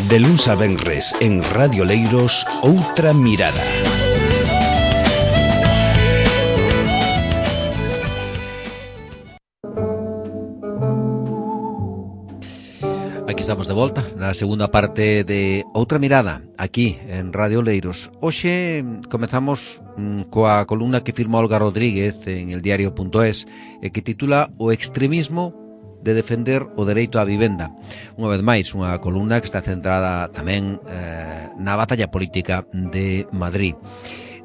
De luns a venres en Radio Leiros, Outra Mirada. Aquí estamos de volta na segunda parte de Outra Mirada, aquí en Radio Leiros. Hoxe comezamos coa columna que firma Olga Rodríguez en el diario.es e que titula O extremismo de defender o dereito á vivenda. Unha vez máis, unha columna que está centrada tamén na batalla política de Madrid.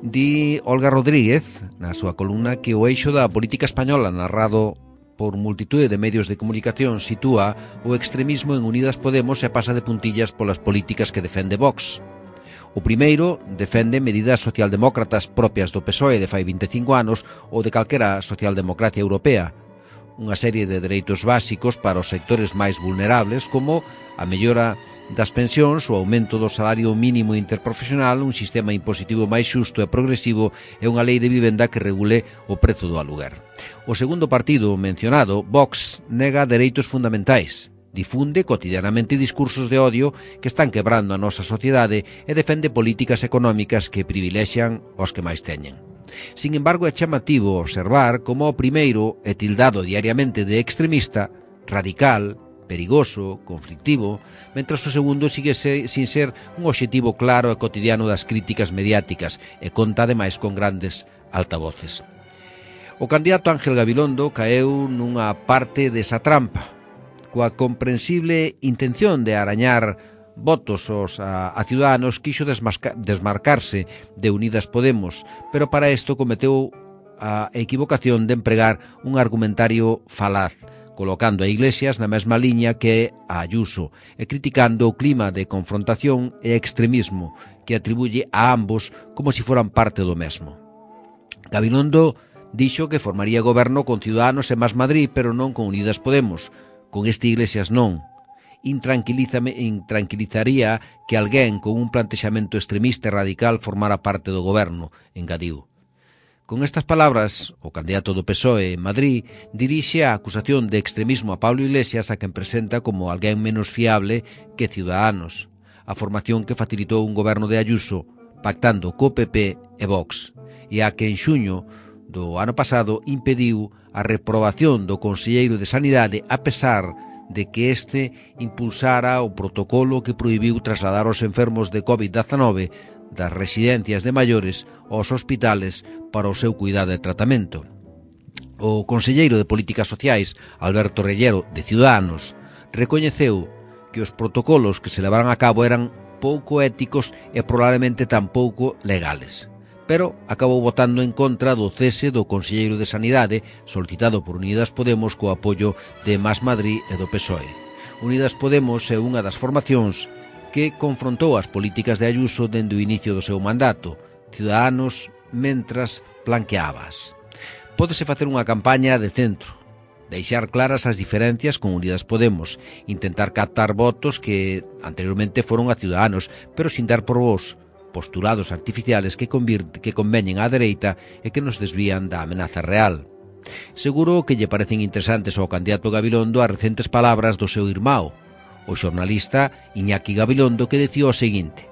Di Olga Rodríguez, na súa columna, que o eixo da política española narrado por multitude de medios de comunicación sitúa o extremismo en Unidas Podemos e pasa de puntillas polas políticas que defende Vox. O primeiro defende medidas socialdemócratas propias do PSOE de fai 25 anos ou de calquera socialdemocracia europea, unha serie de dereitos básicos para os sectores máis vulnerables como a mellora das pensións, o aumento do salario mínimo interprofesional, un sistema impositivo máis xusto e progresivo e unha lei de vivenda que regule o prezo do aluguer. O segundo partido mencionado, Vox, nega dereitos fundamentais, difunde cotidianamente discursos de odio que están quebrando a nosa sociedade e defende políticas económicas que privilexian os que máis teñen. Sin embargo, é chamativo observar como o primeiro é tildado diariamente de extremista, radical, perigoso, conflictivo, mentras o segundo sigue sin ser un obxectivo claro e cotidiano das críticas mediáticas e conta ademais con grandes altavoces. O candidato Ángel Gabilondo caeu nunha parte desa trampa, coa comprensible intención de arañar votos a Ciudadanos, quixo desmarcarse de Unidas Podemos, pero para isto cometeu a equivocación de empregar un argumentario falaz, colocando a Iglesias na mesma liña que a Ayuso e criticando o clima de confrontación e extremismo que atribuye a ambos como se foran parte do mesmo. Gabilondo dixo que formaría goberno con Ciudadanos e Más Madrid, pero non con Unidas Podemos. Con este Iglesias non. Intranquilizaría que alguén con un plantexamento extremista e radical formara parte do goberno, engadiu. Con estas palabras, o candidato do PSOE en Madrid dirixe a acusación de extremismo a Pablo Iglesias, a quen presenta como alguén menos fiable que Ciudadanos, a formación que facilitou un goberno de Ayuso pactando co PP e Vox, e a que en xuño do ano pasado impediu a reprobación do conselleiro de Sanidade a pesar de que este impulsara o protocolo que prohibiu trasladar os enfermos de COVID-19 das residencias de maiores aos hospitales para o seu cuidado e tratamento. O conselleiro de Políticas Sociais, Alberto Reyero, de Ciudadanos, recoñeceu que os protocolos que se levaran a cabo eran pouco éticos e probablemente tampouco legales, pero acabou votando en contra do cese do conselleiro de Sanidade solicitado por Unidas Podemos co apoio de Más Madrid e do PSOE. Unidas Podemos é unha das formacións que confrontou as políticas de Ayuso dende o inicio do seu mandato, Ciudadanos mentras planqueabas. Pódese facer unha campaña de centro, deixar claras as diferencias con Unidas Podemos, intentar captar votos que anteriormente foron a Ciudadanos, pero sin dar por vos postulados artificiales que conveñen á dereita e que nos desvían da amenaza real. Seguro que lle parecen interesantes ao candidato Gabilondo as recentes palabras do seu irmão, o xornalista Iñaki Gabilondo, que dicía o seguinte: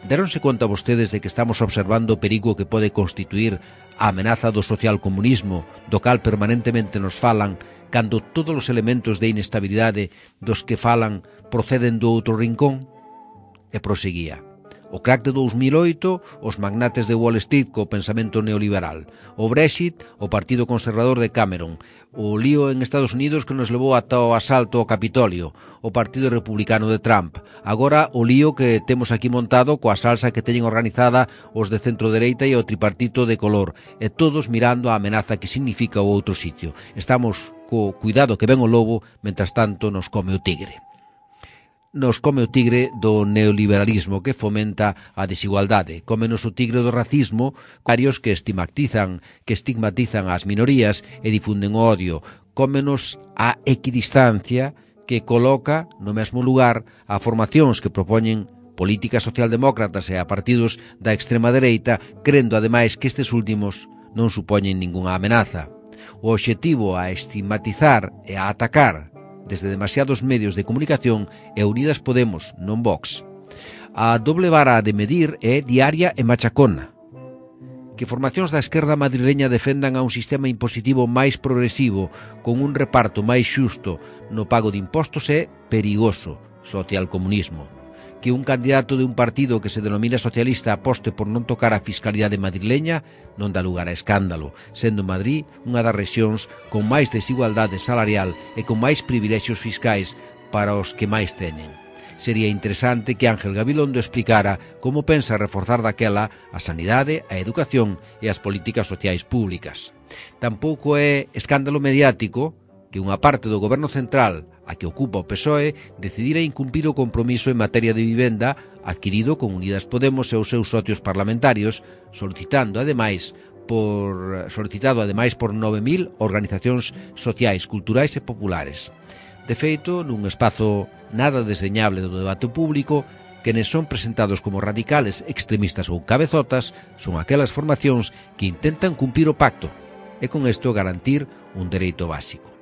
deronse conta vostedes de que estamos observando o perigo que pode constituir a amenaza do socialcomunismo, do cal permanentemente nos falan, cando todos os elementos de inestabilidade dos que falan proceden do outro rincón? E proseguía: o crack de 2008, os magnates de Wall Street co pensamento neoliberal, o Brexit, o Partido Conservador de Cameron, o lío en Estados Unidos que nos levou ata o asalto ao Capitolio, o Partido Republicano de Trump, agora o lío que temos aquí montado coa salsa que teñen organizada os de centro-dereita e o tripartito de color, e todos mirando a amenaza que significa o outro sitio. Estamos co cuidado que ven o lobo, mentras tanto nos come o tigre. Nos come o tigre do neoliberalismo que fomenta a desigualdade, cómenos o tigre do racismo, varios que estigmatizan as minorías e difunden o odio, cómenos a equidistancia que coloca no mesmo lugar a formacións que propoñen políticas socialdemócratas e a partidos da extrema dereita, crendo ademais que estes últimos non supoñen ningunha amenaza. O obxectivo a estigmatizar e a atacar desde demasiados medios de comunicación e Unidas Podemos, non Vox. A doble vara de medir é diaria e machacona. Que formacións da esquerda madrileña defendan a un sistema impositivo máis progresivo, con un reparto máis xusto no pago de impostos é perigoso, socialcomunismo. Que un candidato de un partido que se denomina socialista aposte por non tocar a fiscalidade madrileña non dá lugar a escándalo, sendo Madrid unha das rexións con máis desigualdade salarial e con máis privilexios fiscais para os que máis teñen. Sería interesante que Ángel Gabilondo explicara como pensa reforzar daquela a sanidade, a educación e as políticas sociais públicas. Tampouco é escándalo mediático que unha parte do goberno central, a que ocupa o PSOE, decidira incumprir o compromiso en materia de vivenda adquirido con Unidas Podemos e os seus socios parlamentarios, solicitado ademais por 9.000 organizacións sociais, culturais e populares. De feito, nun espazo nada desdeñable do debate público, quenes son presentados como radicales, extremistas ou cabezotas son aquelas formacións que intentan cumprir o pacto e con isto garantir un dereito básico.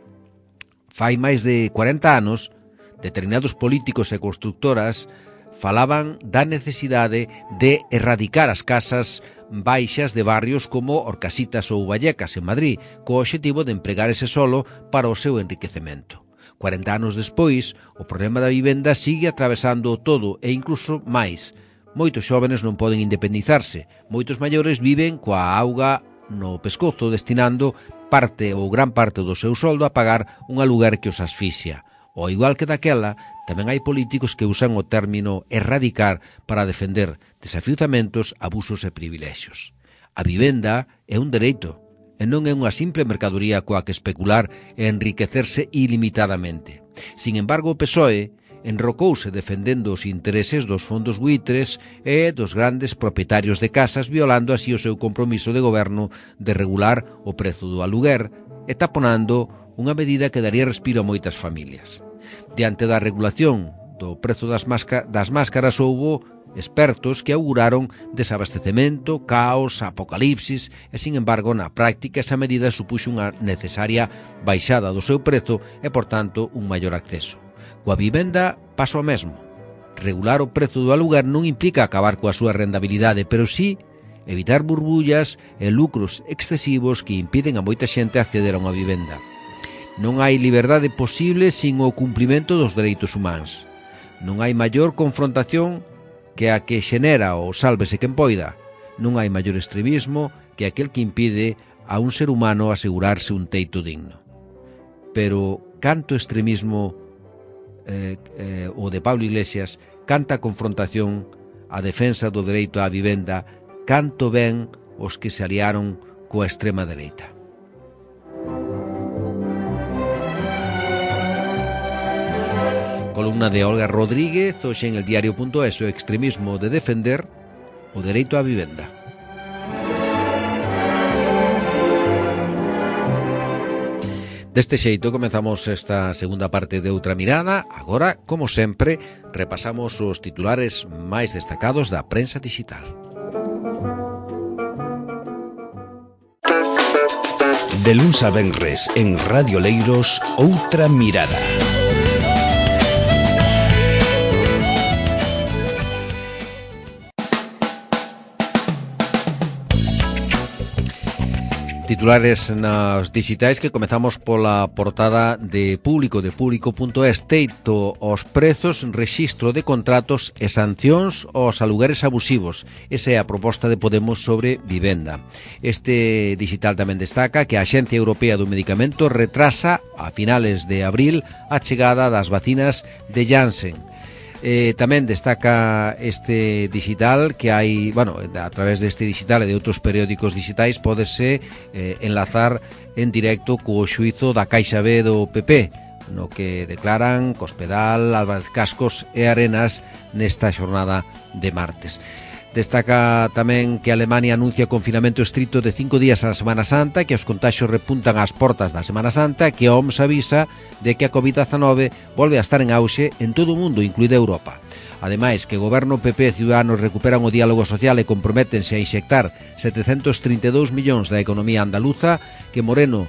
Fai máis de 40 anos, determinados políticos e constructoras falaban da necesidade de erradicar as casas baixas de barrios como Orcasitas ou Vallecas en Madrid, co obxectivo de empregar ese solo para o seu enriquecemento. 40 anos despois, o problema da vivenda sigue atravesando todo e incluso máis. Moitos xóvenes non poden independizarse, moitos maiores viven coa auga no pescozo destinando parte ou gran parte do seu soldo a pagar un aluguer que os asfixia. Ao igual que daquela, tamén hai políticos que usan o término erradicar para defender desafiuzamentos, abusos e privilexios. A vivenda é un dereito, e non é unha simple mercadoría coa que especular e enriquecerse ilimitadamente. Sin embargo, o PSOE enrocouse defendendo os intereses dos fondos buitres e dos grandes propietarios de casas, violando así o seu compromiso de goberno de regular o prezo do aluguer e taponando unha medida que daría respiro a moitas familias. Diante da regulación do prezo das máscaras houbo expertos que auguraron desabastecemento, caos, apocalipsis e, sin embargo, na práctica esa medida supuxo unha necesaria baixada do seu prezo e, por tanto, un maior acceso. Coa vivenda pasa o mesmo. Regular o prezo do aluguer non implica acabar coa súa rentabilidade, pero sí evitar burbullas e lucros excesivos que impiden a moita xente acceder a unha vivenda. Non hai liberdade posible sin o cumprimento dos dereitos humanos. Non hai maior confrontación que a que xenera o sálvese quen poida. Non hai maior extremismo que aquel que impide a un ser humano asegurarse un teito digno. Pero canto extremismo o de Pablo Iglesias, canta confrontación a defensa do dereito á vivenda, canto ben os que se aliaron coa extrema dereita. Columna de Olga Rodríguez, hoxe en el diario.es, o extremismo de defender o dereito á vivenda. Deste xeito comezamos esta segunda parte de Outra Mirada. Agora, como sempre, repasamos os titulares máis destacados da prensa digital. De luns a venres en Radio Leiros, Outra Mirada. Titulares nas digitais que comezamos pola portada de Público, de Público.es. Teito aos prezos, rexistro de contratos e sancións aos alugueres abusivos. Esa é a proposta de Podemos sobre vivenda. Este digital tamén destaca que a Axencia Europea do Medicamento retrasa a finales de abril a chegada das vacinas de Janssen. Tamén destaca este digital que hai, a través deste digital e de outros periódicos digitais pódese enlazar en directo co xuízo da Caixa B do PP, no que declaran Cospedal, Álvarez Cascos e Arenas nesta xornada de martes. Destaca tamén que Alemania anuncia confinamento estricto de 5 días a Semana Santa, que os contaxios repuntan ás portas da Semana Santa, que a OMS avisa de que a COVID-19 volve a estar en auxe en todo o mundo, incluída Europa. Ademais, que o Goberno PP e Ciudadanos recuperan o diálogo social e comprométense a inxectar 732 millóns da economía andaluza, que Moreno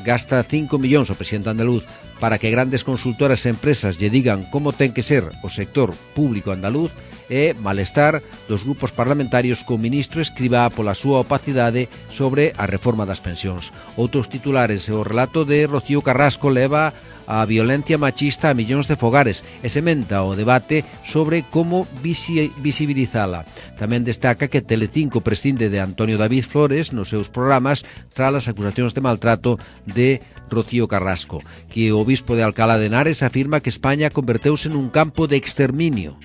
gasta 5 millóns o presidente andaluz para que grandes consultoras e empresas lle digan como ten que ser o sector público andaluz, e malestar dos grupos parlamentarios co ministro Escrivá pola súa opacidade sobre a reforma das pensións. Outros titulares, o relato de Rocío Carrasco leva a violencia machista a millóns de fogares e sementa o debate sobre como visibilizala. Tamén destaca que Telecinco prescinde de Antonio David Flores nos seus programas tras as acusacións de maltrato de Rocío Carrasco, que o obispo de Alcalá de Henares afirma que España converteuse nun campo de exterminio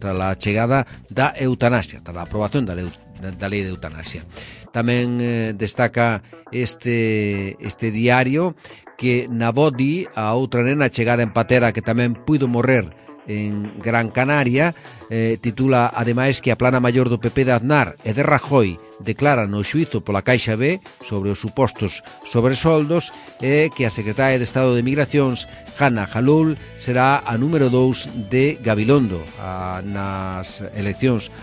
tras a chegada da eutanasia, tras a aprobación da lei de eutanasia. Tamén destaca este diario que na Bodi, a outra nena chegada en patera que tamén puido morrer en Gran Canaria, titula ademais que a plana maior do PP de Aznar e de Rajoy declara no xuízo pola Caixa B sobre os supostos sobresoldos, e que a secretaria de Estado de Migracións, Hanna Jalul, será a número 2 de Gabilondo nas eleccións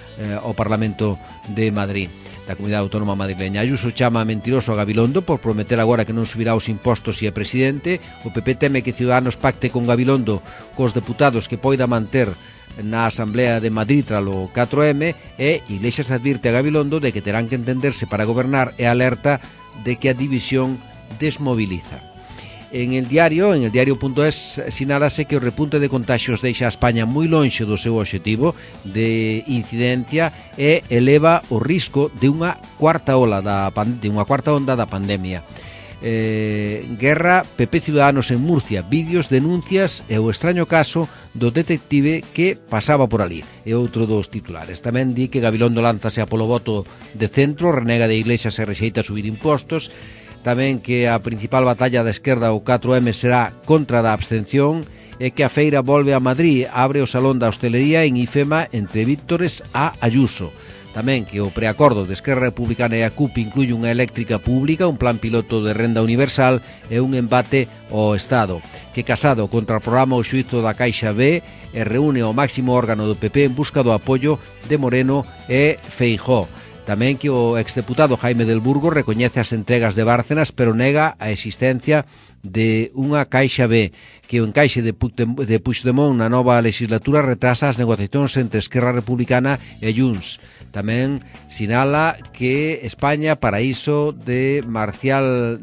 ao Parlamento de Madrid, da Comunidade Autónoma Madrileña. Ayuso chama mentiroso a Gabilondo por prometer agora que non subirá os impostos se é presidente. O PP teme que Ciudadanos pacte con Gabilondo cos deputados que poida manter na Asamblea de Madrid tralo 4M, e Iglesias advirte a Gabilondo de que terán que entenderse para gobernar e alerta de que a división desmoviliza. En el diario.es sinálase que o repunte de contaxios deixa a España moi lonxe do seu obxectivo de incidencia e eleva o risco de unha cuarta onda da pandemia. Guerra PP Ciudadanos en Murcia, vídeos, denuncias e o extraño caso do detective que pasaba por ali. E outro dos titulares. Tamén di que Gabilondo lánzase a polo voto de centro, renega de Iglesias e rexeita subir impostos. Tamén que a principal batalla da esquerda o 4M será contra da abstención, e que a feira volve a Madrid, abre o Salón da Hostelería en IFEMA entre Víctores a Ayuso. Tamén que o preacordo de Esquerra Republicana e a CUP incluye unha eléctrica pública, un plan piloto de renda universal e un embate ao Estado. Que Casado contra o programa o xuízo da Caixa B e reúne o máximo órgano do PP en busca do apoio de Moreno e Feijóo. Tamén que o exdeputado Jaime del Burgo recoñece as entregas de Bárcenas, pero nega a existencia de unha Caixa B, que o encaixe de Puigdemont na nova legislatura retrasa as negociacións entre Esquerra Republicana e Junts. Tamén sinala que España, paraíso de Marcial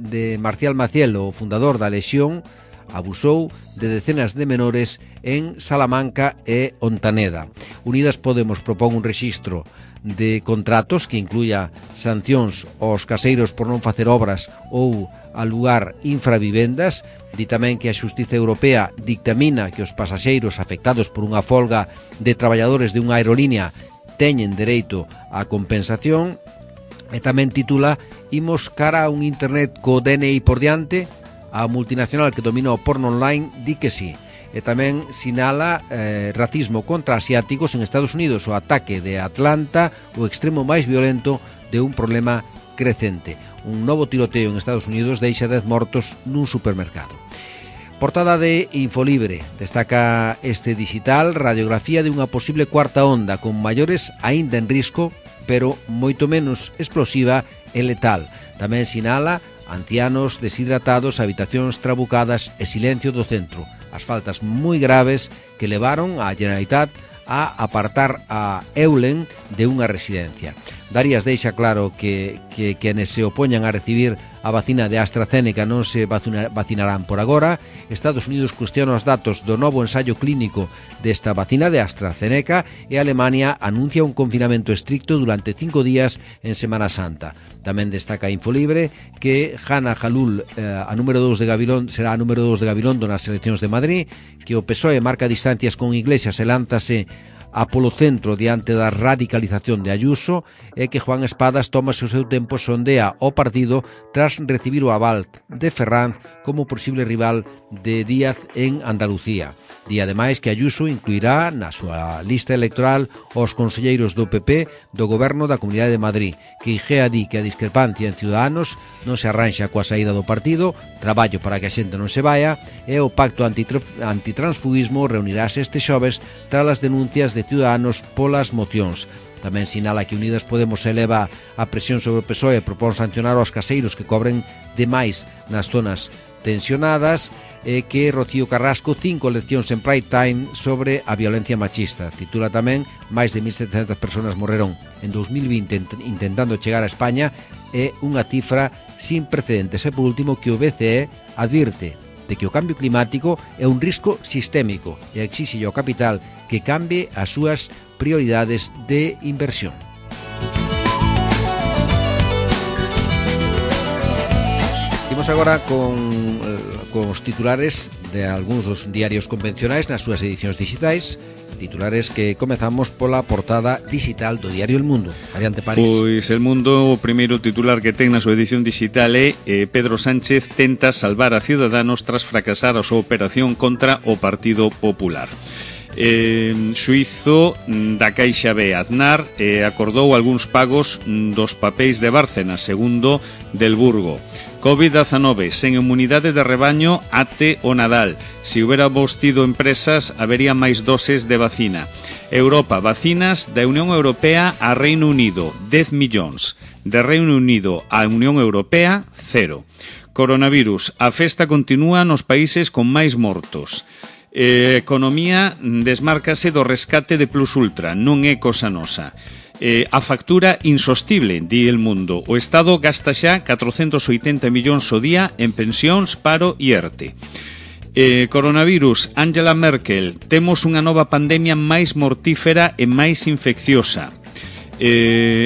Maciel, o fundador da Lexión, abusou de decenas de menores en Salamanca e Ontaneda. Unidas Podemos propón un rexistro de contratos que incluya sancións aos caseiros por non facer obras ou alugar infravivendas. Di tamén que a Xustiza Europea dictamina que os pasaxeiros afectados por unha folga de traballadores de unha aerolínea teñen dereito á compensación. E tamén titula "Imos cara a un internet co DNI por diante". A multinacional que domina o porno online di que sí. E tamén sinala racismo contra asiáticos en Estados Unidos, o ataque de Atlanta, o extremo máis violento de un problema crecente. Un novo tiroteo en Estados Unidos deixa 10 mortos nun supermercado. Portada de Infolibre. Destaca este digital radiografía de unha posible cuarta onda con maiores aínda en risco, pero moito menos explosiva e letal. Tamén sinala ancianos deshidratados, habitacións trabucadas e silencio do centro. As faltas moi graves que levaron a Generalitat a apartar a Eulen de unha residencia. Darias deixa claro que quenes se opoñan a recibir a vacina de AstraZeneca non se vacinarán por agora. Estados Unidos cuestiona os datos do novo ensaio clínico desta vacina de AstraZeneca e Alemania anuncia un confinamento estricto durante 5 días en Semana Santa. Tamén destaca Infolibre que Hanna Jalul a número 2 de Gabilondo será a número 2 de Gabilondo nas eleccións de Madrid, que o PSOE marca distancias con Iglesias e lánzase a polo centro diante da radicalización de Ayuso, e que Juan Espadas toma o seu tempo, sondea o partido tras recibir o aval de Ferranz como posible rival de Díaz en Andalucía. Di ademais que Ayuso incluirá na súa lista electoral os conselleiros do PP do goberno da Comunidade de Madrid, que Igea di que a discrepancia en Ciudadanos non se arranxa coa saída do partido, traballo para que a xente non se vaya, e o pacto antitransfugismo reunirase este xoves tras as denuncias de Ciudadanos polas mocións. Tamén sinala que Unidas Podemos eleva a presión sobre o PSOE e propón sancionar aos caseiros que cobren demais nas zonas tensionadas, e que Rocío Carrasco 5 leccións en Pride Time sobre a violencia machista. Titula tamén: máis de 1.700 persoas morreron en 2020 intentando chegar a España, é unha cifra sin precedentes. E por último, que o BCE advirte de que o cambio climático é un risco sistémico e exixe ao capital que cambie as súas prioridades de inversión. Imos agora con os titulares de algúns dos diarios convencionais nas súas edicións digitais, titulares que comezamos pola portada digital do diario El Mundo. Adiante, París. Pois El Mundo, o primeiro titular que ten na súa edición digital é Pedro Sánchez tenta salvar a Ciudadanos tras fracasar a súa operación contra o Partido Popular. Xuízo da Caixa B. Aznar acordou algúns pagos dos papéis de Bárcenas, segundo del Burgo. COVID-19, sen inmunidade de rebaño até o Nadal. Se hubiéramos tido empresas, habería máis doses de vacina. Europa, vacinas da Unión Europea a Reino Unido, 10 millóns. De Reino Unido a Unión Europea, 0. Coronavirus, a festa continúa nos países con máis mortos. Economía desmárcase do rescate de Plus Ultra, non é cosa nosa. A factura insostible, di El Mundo. O Estado gasta xa 480 millóns o día en pensións, paro e ERTE. Coronavirus, Angela Merkel, temos unha nova pandemia máis mortífera e máis infecciosa.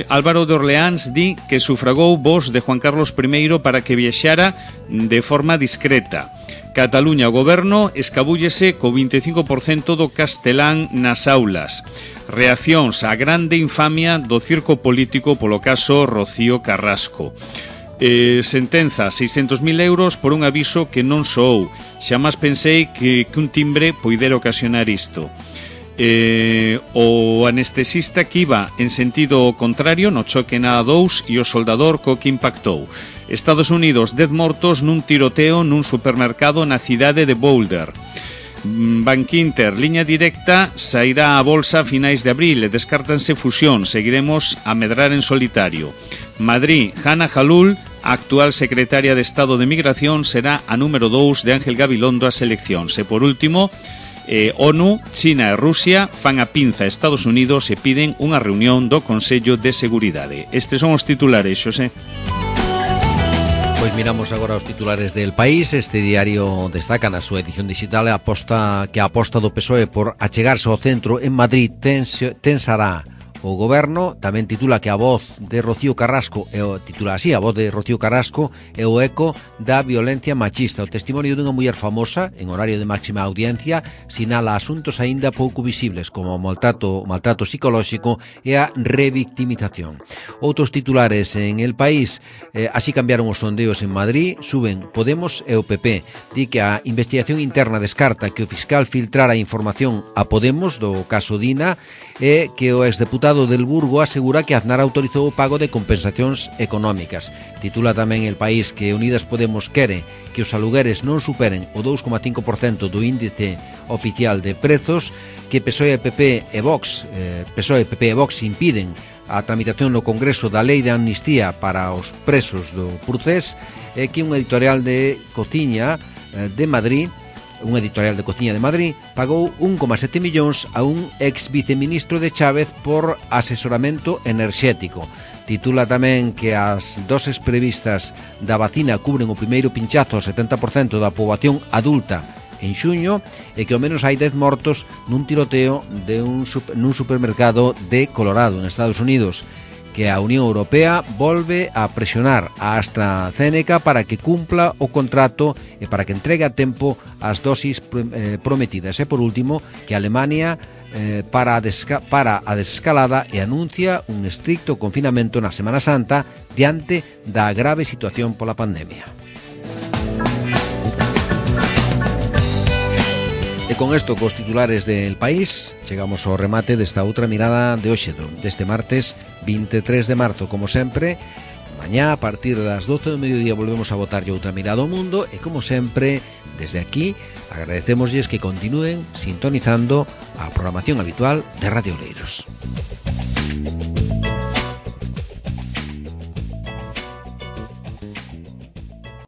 Álvaro de Orleáns di que sufragou voz de Juan Carlos I para que viaxara de forma discreta. Cataluña, o goberno escabúllese co 25% do castelán nas aulas. Reaccións á grande infamia do circo político polo caso Rocío Carrasco. Sentenza, 600.000 euros por un aviso que non soou. Xamás pensei que un timbre poidera ocasionar isto. O anestesista que iba en sentido contrario no choque na A2 e o soldador co que impactou. Estados Unidos, 10 mortos nun tiroteo nun supermercado na cidade de Boulder. Bankinter, liña directa, sairá a bolsa a finais de abril e descártanse fusións, seguiremos a medrar en solitario. Madrid, Hanna Jalul, a actual secretaria de Estado de Migración, será a número 2 de Ángel Gabilondo ás eleccións. E por último, ONU, China e Rusia fan a pinza a Estados Unidos e piden unha reunión do Consello de Seguridade. Estes son os titulares, Xosé. Pois miramos agora os titulares del País. Este diario destaca na súa edición digital a aposta do PSOE por achegarse ao centro en Madrid tensará o goberno. Tamén titula que a voz de Rocío Carrasco a voz de Rocío Carrasco é o eco da violencia machista. O testimonio dunha muller famosa en horario de máxima audiencia sinala asuntos aínda pouco visibles como o maltrato psicolóxico e a revictimización. Outros titulares en El País: así cambiaron os sondeos en Madrid, suben Podemos e o PP. Di que a investigación interna descarta que o fiscal filtrara información a Podemos do caso Dina e que o exdeputado del Burgo asegura que Aznar autorizou o pago de compensacións económicas. Titula tamén El País que Unidas Podemos quere que os alugueres non superen o 2,5% do índice oficial de prezos, que PSOE, PP e Vox impiden a tramitación no Congreso da Lei de Amnistía para os presos do Procés, e que un editorial de cociña de Madrid pagou 1,7 millóns a un ex viceministro de Chávez por asesoramento enerxético. Titula tamén que as doses previstas da vacina cubren o primeiro pinchazo ao 70% da poboación adulta en xuño, e que ao menos hai 10 mortos nun tiroteo nun supermercado de Colorado, en Estados Unidos. Que a Unión Europea volve a presionar a AstraZeneca para que cumpla o contrato e para que entregue a tempo as dosis prometidas. E por último, que Alemania para a desescalada e anuncia un estricto confinamento na Semana Santa diante da grave situación pola pandemia. E con isto, cos titulares del País, chegamos ao remate desta outra mirada de hoxe, deste martes 23 de marzo. Como sempre, Mañá, a partir das 12 do mediodía, volvemos a botarlle outra mirada ao mundo e, como sempre, desde aquí, agradecémoslles que continúen sintonizando a programación habitual de Radio Oleiros.